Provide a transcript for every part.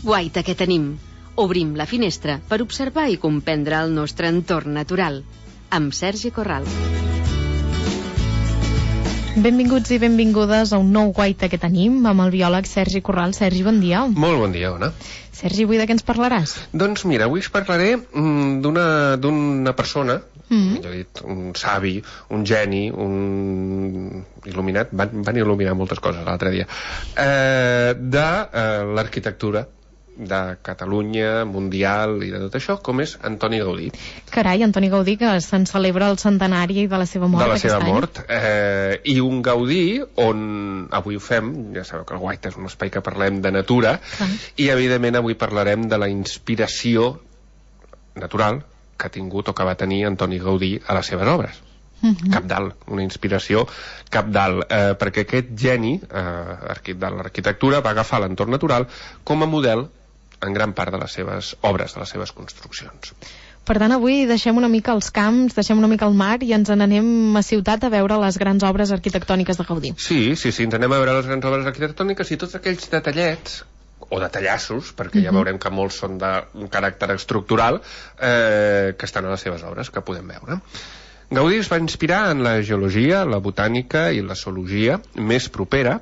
guaita que tenim. Obrim la finestra per observar i comprendre el nostre entorn natural. Amb Sergi Corral. Benvinguts i benvingudes a un nou guaita que tenim amb el biòleg Sergi Corral. Sergi, bon dia. Molt bon dia, Ona. Sergi, avui de què ens parlaràs? Doncs mira, avui us parlaré d'una persona, millor dit, un savi, un geni, un il·luminat, van il·luminar moltes coses l'altre dia, de l'arquitectura de Catalunya, mundial i de tot això, com és Antoni Gaudí. Carai, Antoni Gaudí, que se'n celebra el centenari de la seva mort de la aquest seva any. mort. I un Gaudí on avui ho fem, ja sabeu que el Guaita és un espai que parlem de natura, i evidentment avui parlarem de la inspiració natural que ha tingut o que va tenir Antoni Gaudí a les seves obres. Cabdal, una inspiració cabdal, perquè aquest geni de l'arquitectura va agafar l'entorn natural com a model en gran part de les seves obres, de les seves construccions. Per tant, avui deixem una mica els camps, deixem una mica el mar i ens n'anem a ciutat a veure les grans obres arquitectòniques de Gaudí. Sí, ens anem a veure les grans obres arquitectòniques i tots aquells detallets o detallassos, perquè ja veurem que molts són d'un caràcter estructural, que estan a les seves obres, que podem veure. Gaudí es va inspirar en la geologia, la botànica i la zoologia més propera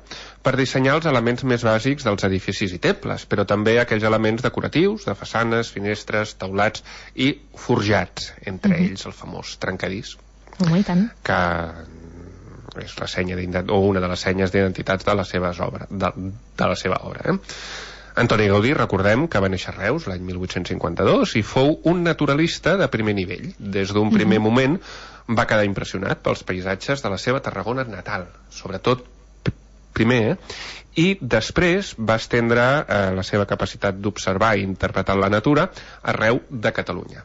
per dissenyar els elements més bàsics dels edificis i temples, però també aquells elements decoratius, de façanes, finestres, teulats i forjats, entre ells el famós trencadís, I tant. que és la senya o una de les senyes d'identitats de la seva obra. Antoni Gaudí, recordem que va néixer a Reus l'any 1852 i fou un naturalista de primer nivell. Des d'un primer moment va quedar impressionat pels paisatges de la seva Tarragona natal, sobretot primer, i després va estendre la seva capacitat d'observar i interpretar la natura arreu de Catalunya.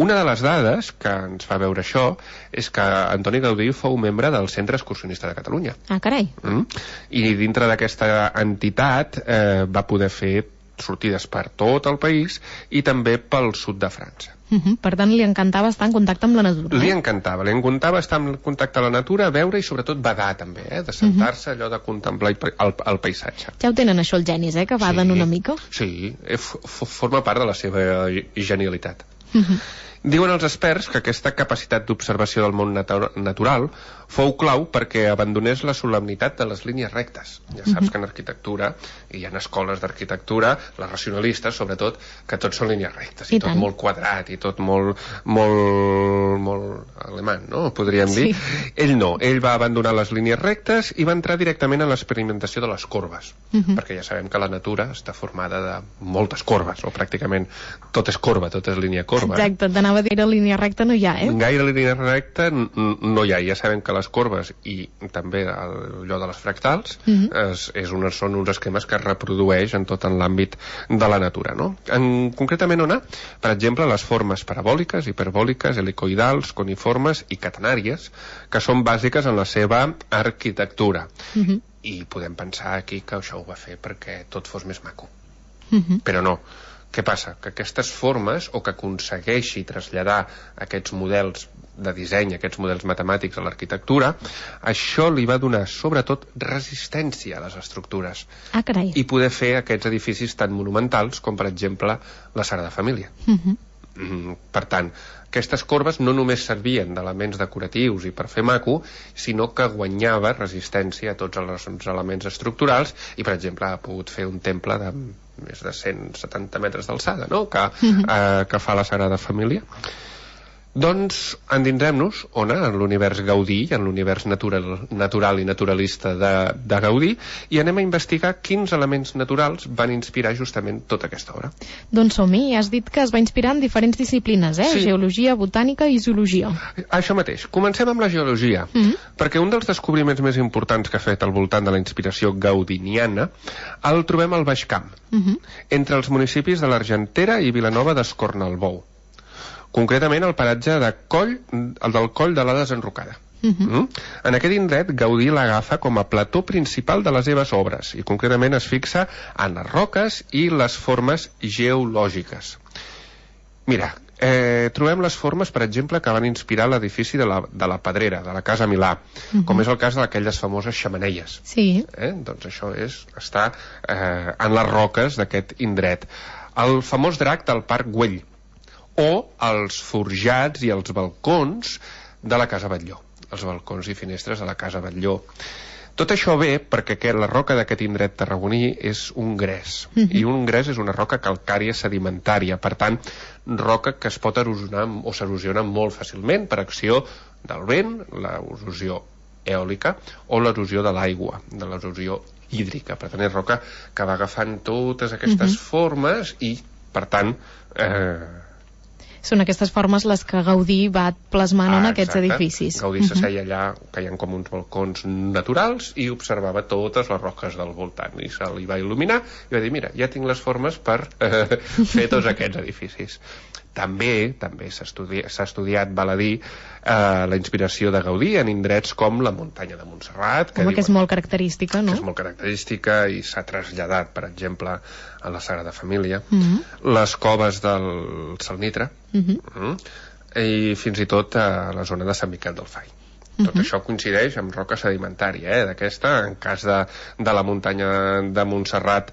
Una de les dades que ens fa veure això és que Antoni Gaudí fou membre del Centre Excursionista de Catalunya. Ah, carai. I dintre d'aquesta entitat va poder fer sortides per tot el país i també pel sud de França. Per tant, li encantava estar en contacte amb la natura. Li encantava estar en contacte amb la natura, veure i sobretot badar també, de sentar-se allò de contemplar el paisatge. Ja ho tenen això els genis, que baden una mica. Sí, forma part de la seva genialitat. Diuen els experts que aquesta capacitat d'observació del món natural fou clau perquè abandonés la solemnitat de les línies rectes. Ja saps que en arquitectura, i hi ha escoles d'arquitectura, les racionalistes sobretot, que tot són línies rectes, i tot molt quadrat, i tot molt alemany, no? Podríem dir. Ell no, ell va abandonar les línies rectes i va entrar directament en l'experimentació de les corbes, perquè ja sabem que la natura està formada de moltes corbes, o pràcticament tot és corba, tot és línia corba. Exacte, t'anava a dir que línia recta no hi ha, Gaire línia recta no hi ha. Ja sabem que les corbes i també allò de les fractals són uns esquemes que es reprodueix en tot l'àmbit de la natura, no? Concretament on per exemple, les formes parabòliques, hiperbòliques, helicoidals, coniformes i catenàries, que són bàsiques en la seva arquitectura. I podem pensar aquí que això ho va fer perquè tot fos més maco. Però no. Què passa? Que aquestes formes, o que aconsegueixi traslladar aquests models de disseny, aquests models matemàtics a l'arquitectura, això li va donar sobretot resistència a les estructures. Ah, carai. I poder fer aquests edificis tan monumentals com, per exemple, la Sagrada Família. Per tant, aquestes corbes no només servien d'elements decoratius i per fer maco, sinó que guanyava resistència a tots els elements estructurals i, per exemple, ha pogut fer un temple de més de 170 metres d'alçada, no? Que fa la Sagrada Família. Doncs endinsem-nos en l'univers Gaudí, en l'univers natural i naturalista de Gaudí, i anem a investigar quins elements naturals van inspirar justament tota aquesta obra. Doncs som-hi, has dit que es va inspirar en diferents disciplines, Sí. Geologia, botànica i zoologia. Això mateix. Comencem amb la geologia, perquè un dels descobriments més importants que ha fet al voltant de la inspiració gaudiniana el trobem al Baix Camp, entre els municipis de l'Argentera i Vilanova d'Escornalbou. Concretament el paratge el del Coll de la Desenrocada. En aquest indret Gaudí l'agafa com a plató principal de les seves obres i concretament es fixa en les roques i les formes geològiques. Mira, trobem les formes, per exemple, que van inspirar l'edifici de la Pedrera, de la Casa Milà, com és el cas d'aquelles famoses xemeneies. Sí. Doncs això està en les roques d'aquest indret. El famós drac del Parc Güell, o els forjats i els balcons de la Casa Batlló, els balcons i finestres de la Casa Batlló. Tot això ve perquè la roca d'aquest indret tarragoní és un gres, i un gres és una roca calcària sedimentària, per tant, roca que es pot erosionar o s'erosiona molt fàcilment per acció del vent, l'erosió eòlica, o l'erosió de l'aigua, de l'erosió hídrica. Per tant, és roca que va agafant totes aquestes formes i, per tant, són aquestes formes les que Gaudí va plasmant en aquests edificis. Gaudí s'asseia allà, que hi ha com uns balcons naturals, i observava totes les roques del voltant, i se li va il·luminar i va dir, mira, ja tinc les formes per fer tots aquests edificis. També s'ha estudiat, val a dir, la inspiració de Gaudí en indrets com la muntanya de Montserrat, que és molt característica, no? Que és molt característica i s'ha traslladat, per exemple, a la Sagrada Família, les coves del Salnitre, i fins i tot a la zona de Sant Miquel del Fai. Tot això coincideix amb roca sedimentària, d'aquesta, en cas de la muntanya de Montserrat,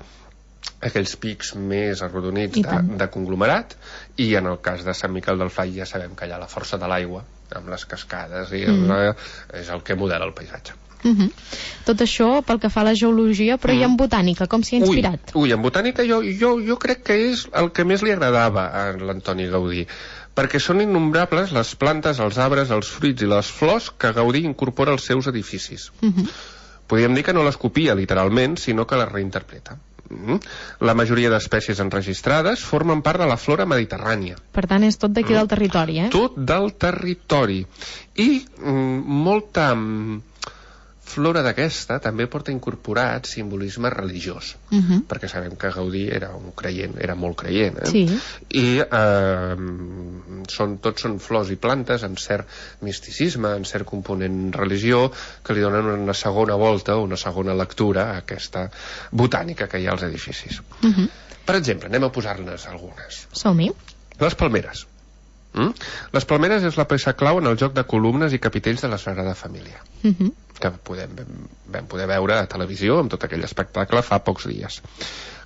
aquells pics més arrodonits de conglomerat, i en el cas de Sant Miquel del Fai ja sabem que hi ha la força de l'aigua amb les cascades i és el que modela el paisatge. Tot això pel que fa a la geologia, però i en botànica, com s'hi ha inspirat? En botànica jo crec que és el que més li agradava a l'Antoni Gaudí, perquè són innombrables les plantes, els arbres, els fruits i les flors que Gaudí incorpora als seus edificis. Podríem dir que no les copia literalment, sinó que les reinterpreta. La majoria d'espècies enregistrades formen part de la flora mediterrània. Per tant, és tot d'aquí del territori, Tot del territori. I molta flora d'aquesta també porta incorporat simbolisme religiós, perquè sabem que Gaudí era un creient, era molt creient, i tots són flors i plantes amb cert misticisme, amb cert component religió, que li donen una segona volta o una segona lectura a aquesta botànica que hi ha als edificis. Per exemple, anem a posar-ne algunes. Som-hi. Les palmeres. Les palmeres és la peça clau en el joc de columnes i capitells de la Sagrada Família, que vam poder veure a televisió amb tot aquell espectacle fa pocs dies.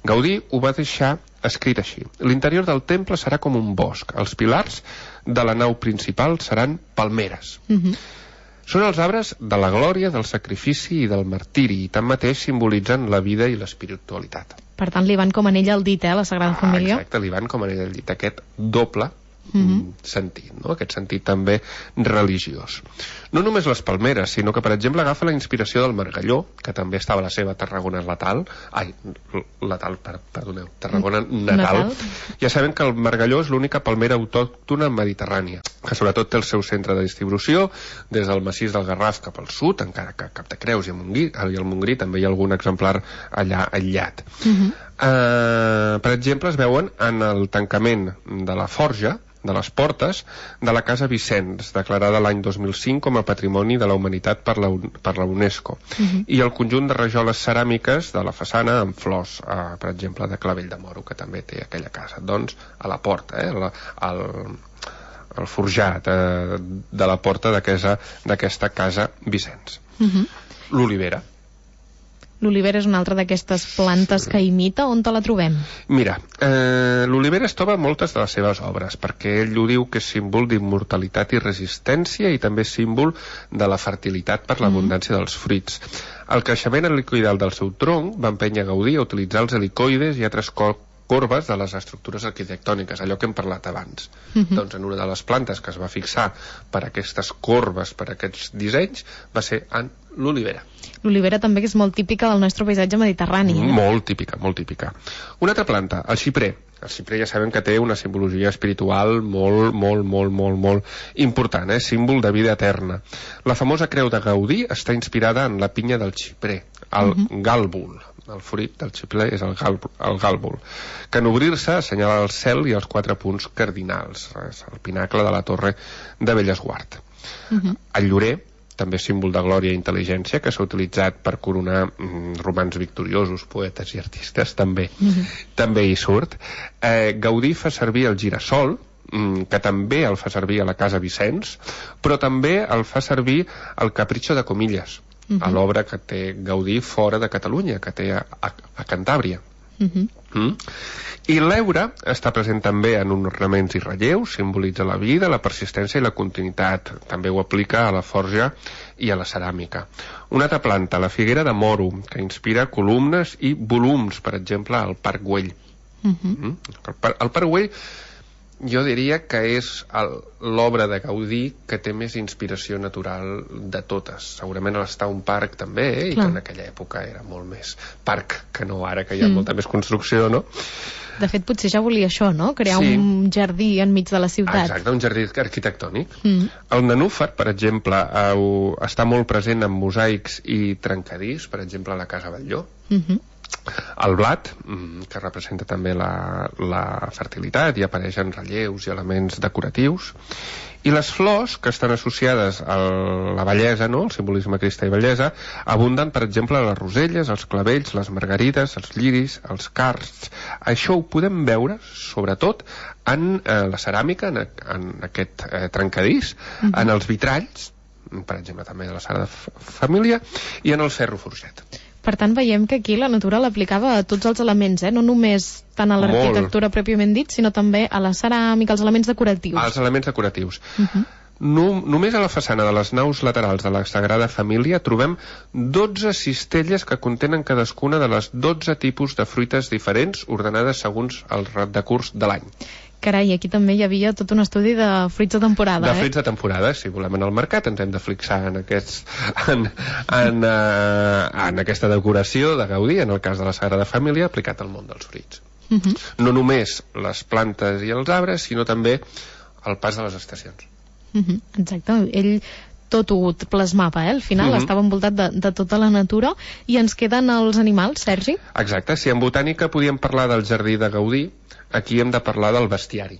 Gaudí ho va deixar escrit així: l'interior del temple serà com un bosc, els pilars de la nau principal seran palmeres. Són els arbres de la glòria, del sacrifici i del martiri, i tanmateix simbolitzen la vida i l'espiritualitat. Per tant, li van com anella al dit, la Sagrada Família? Exacte, li van com anella al dit, aquest doble sentit, no? Aquest sentit també religiós. No només les palmeres, sinó que, per exemple, agafa la inspiració del margalló, que també estava a la seva Tarragona natal. Ja sabem que el margalló és l'única palmera autòctona mediterrània, que sobretot té el seu centre de distribució des del massís del Garraf cap al sud, encara que a Capdecreus i al Montgrí també hi ha algun exemplar allà aïllat. Per exemple, es veuen en el tancament de la forja de les portes de la Casa Vicenç, declarada l'any 2005 com a Patrimoni de la Humanitat per la UNESCO, i el conjunt de rajoles ceràmiques de la façana amb flors, per exemple, de clavell de moro, que també té aquella casa. Doncs a la porta, el forjat de la porta d'aquesta Casa Vicenç. L'olivera. L'olivera és una altra d'aquestes plantes que imita. On te la trobem? Mira, l'olivera es troba en moltes de les seves obres, perquè ell ho diu que és símbol d'immortalitat i resistència, i també símbol de la fertilitat per l'abundància dels fruits. El creixement helicoidal del seu tronc va empènyer Gaudí a utilitzar els helicoides i altres corbes de les estructures arquitectòniques, allò que hem parlat abans. Doncs en una de les plantes que es va fixar per aquestes corbes, per aquests dissenys, va ser en l'olivera. L'olivera també és molt típica del nostre paisatge mediterrani. Molt típica, molt típica. Una altra planta, el xiprer. El xiprer ja sabem que té una simbologia espiritual molt important, símbol de vida eterna. La famosa creu de Gaudí està inspirada en la pinya del xiprer, el gàlbul. El fruit del xiprer és el gàlbul, que en obrir-se assenyala el cel i els 4 punts cardinals. És el pinacle de la torre de Bellesguard. El llorer, també símbol de glòria i intel·ligència, que s'ha utilitzat per coronar romans victoriosos, poetes i artistes, també hi surt. Gaudí fa servir el girassol, que també el fa servir a la Casa Vicenç, però també el fa servir al Capricho de Comillas, a l'obra que té Gaudí fora de Catalunya, que té a Cantàbria. I l'heura està present també en ornaments i relleus, simbolitza la vida, la persistència i la continuïtat. També ho aplica a la forja i a la ceràmica. Una altra planta, la figuera de moro, que inspira columnes i volums, per exemple, al Parc Güell. El Parc Güell jo diria que és l'obra de Gaudí que té més inspiració natural de totes. Segurament l'està un parc també, i que en aquella època era molt més parc que no ara, que hi ha molta més construcció, no? De fet, potser ja volia això, no? Crear un jardí enmig de la ciutat. Exacte, un jardí arquitectònic. El nenúfar, per exemple, està molt present en mosaics i trencadís, per exemple, a la Casa Batlló. El blat, que representa també la fertilitat i apareix en relleus i elements decoratius, i les flors, que estan associades a la bellesa, no? El simbolisme cristà i bellesa, abunden, per exemple, les roselles, els clavells, les margarides, els lliris, els cards. Això ho podem veure, sobretot, en la ceràmica, en aquest trencadís, en els vitralls, per exemple, també de la Sagrada Família, i en el ferro forjat. Per tant, veiem que aquí la natura l'aplicava a tots els elements, no només tant a l'arquitectura pròpiament dit, sinó també a la ceràmica, als elements decoratius. Els elements decoratius. Només a la façana de les naus laterals de la Sagrada Família trobem 12 cistelles que contenen cadascuna de les 12 tipus de fruites diferents ordenades segons el decurs de l'any. Carai, aquí també hi havia tot un estudi de fruits de temporada. De fruits de temporada, si volem anar al mercat ens hem de fixar en aquesta decoració de Gaudí, en el cas de la Sagrada Família, aplicat al món dels fruits. No només les plantes i els arbres, sinó també el pas de les estacions. Exacte, ell tot ho plasmava, al final estava envoltat de tota la natura. I ens queden els animals, Sergi? Exacte, si en botànica podíem parlar del jardí de Gaudí, aquí hem de parlar del bestiari.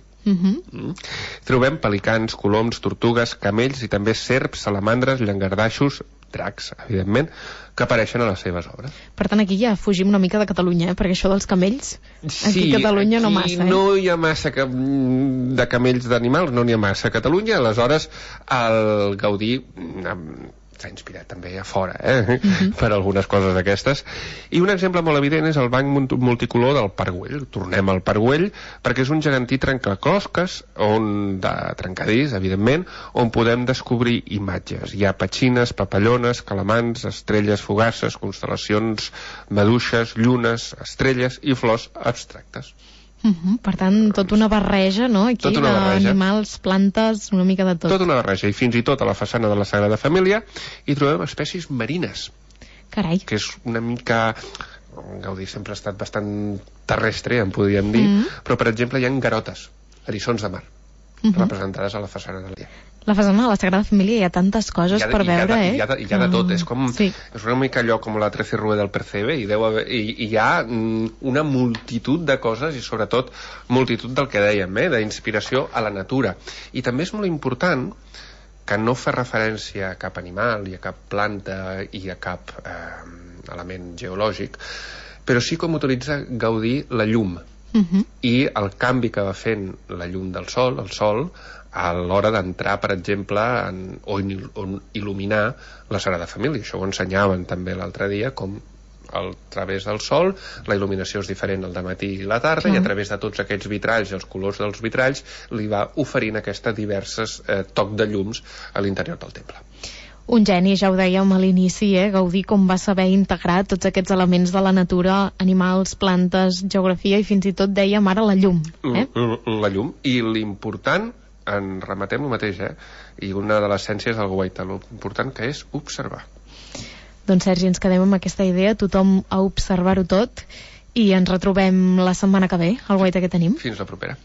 Trobem pelicans, coloms, tortugues, camells i també serps, salamandres, llangardaixos, dracs, evidentment, que apareixen a les seves obres. Per tant, aquí ja fugim una mica de Catalunya, perquè això dels camells, aquí a Catalunya no massa. Sí, no hi ha massa de camells d'animals, no n'hi ha massa a Catalunya, aleshores el Gaudí s'ha inspirat també a fora per algunes coses d'aquestes. I un exemple molt evident és el banc multicolor del Parc Güell. Tornem al Parc Güell perquè és un gegantí trencaclosques, de trencadís, evidentment, on podem descobrir imatges. Hi ha petxines, papallones, calamans, estrelles fugaces, constel·lacions, maduixes, llunes, estrelles i flors abstractes. Per tant, tota una barreja, no? Aquí, d'animals, plantes, una mica de tot. Tota una barreja, i fins i tot a la façana de la Sagrada Família hi trobem espècies marines. Carai. Que és una mica... Gaudí sempre ha estat bastant terrestre, en podríem dir, però, per exemple, hi ha garotes, eriçons de mar, representades a la façana de l'illa. La façana de la Sagrada Família hi ha tantes coses per veure, Hi ha de tot, és com... És una mica allò com la 13 Rue del Percebe, i hi ha una multitud de coses, i sobretot multitud del que dèiem, d'inspiració a la natura. I també és molt important que no fa referència a cap animal i a cap planta i a cap element geològic, però sí com utilitza Gaudí la llum i el canvi que va fent la llum del sol, el sol, a l'hora d'entrar, per exemple, o il·luminar la Sagrada Família. Això ho ensenyaven també l'altre dia, com a través del sol la il·luminació és diferent al dematí i la tarda, i a través de tots aquests vitralls i els colors dels vitralls li va oferint aquestes diverses toc de llums a l'interior del temple. Un geni, ja ho dèiem a l'inici, Gaudí, com va saber integrar tots aquests elements de la natura, animals, plantes, geografia, i fins i tot dèiem ara la llum. La llum, i l'important, en rematem el mateix, i una de les essències del guaita, l'important que és observar. Doncs, Sergi, ens quedem amb aquesta idea, tothom a observar-ho tot, i ens retrobem la setmana que ve, al guaita que tenim. Fins la propera.